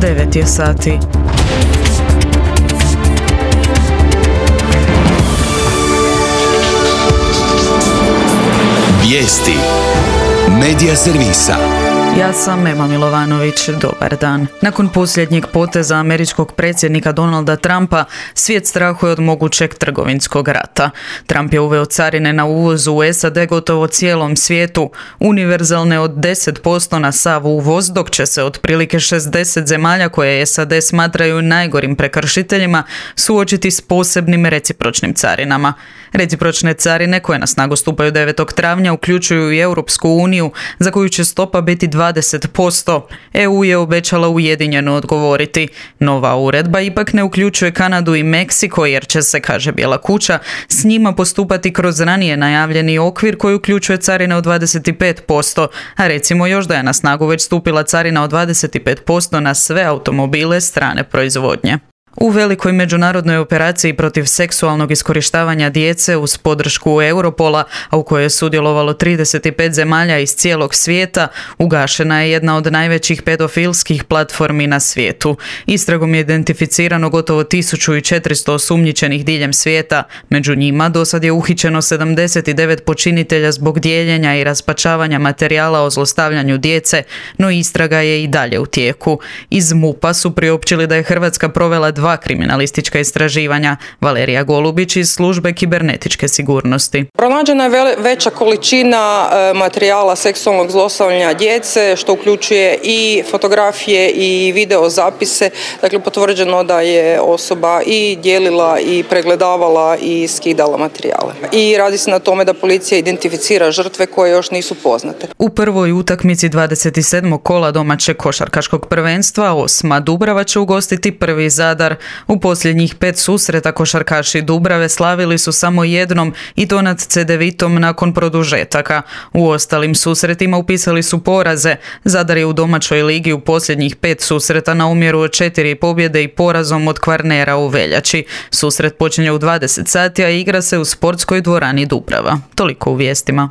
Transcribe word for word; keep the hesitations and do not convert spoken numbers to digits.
devet je sati. Vijesti Medija servisa. Ja sam Ema Milovanović, dobar dan. Nakon posljednjeg poteza američkog predsjednika Donalda Trumpa, svijet strahuje od mogućeg trgovinskog rata. Trump je uveo carine na uvoz u S A D gotovo cijelom svijetu, univerzalne od deset posto na sav uvoz, dok će se otprilike šezdeset zemalja koje S A D smatraju najgorim prekršiteljima suočiti s posebnim recipročnim carinama. Recipročne carine, koje na snagu stupaju devetog travnja, uključuju i Europsku uniju, za koju će stopa biti dvadeset posto. E U je obećala ujedinjeno odgovoriti. Nova uredba ipak ne uključuje Kanadu i Meksiko, jer će se, kaže Bijela kuća, s njima postupati kroz ranije najavljeni okvir koji uključuje carine od dvadeset pet posto, a recimo još da je na snagu već stupila carina od dvadeset pet posto na sve automobile strane proizvodnje. U velikoj međunarodnoj operaciji protiv seksualnog iskorištavanja djece uz podršku Europola, a u kojoj je sudjelovalo trideset pet zemalja iz cijelog svijeta, ugašena je jedna od najvećih pedofilskih platformi na svijetu. Istragom je identificirano gotovo tisuću četiristo osumnjičenih diljem svijeta. Među njima dosad je uhićeno sedamdeset devet počinitelja zbog dijeljenja i raspačavanja materijala o zlostavljanju djece, no istraga je i dalje u tijeku. Iz MUP-a su priopćili da je Hrvatska provela dva kriminalistička istraživanja. Valerija Golubić iz službe kibernetičke sigurnosti. Pronađena je vele, veća količina e, materijala seksualnog zlostavljanja djece, što uključuje i fotografije i video zapise. Dakle, potvrđeno da je osoba i dijelila i pregledavala i skidala materijale. I radi se na tome da policija identificira žrtve koje još nisu poznate. U prvoj utakmici dvadeset sedmog kola domaćeg košarkaškog prvenstva osma Dubrava će ugostiti prvi Zadar. U posljednjih pet susreta košarkaši Dubrave slavili su samo jednom, i to nad Cedevitom nakon produžetaka. U ostalim susretima upisali su poraze. Zadar je u domaćoj ligi u posljednjih pet susreta na umjeru od četiri pobjede i porazom od Kvarnera u veljači. Susret počinje u dvadeset sati, a igra se u sportskoj dvorani Dubrava. Toliko u vijestima.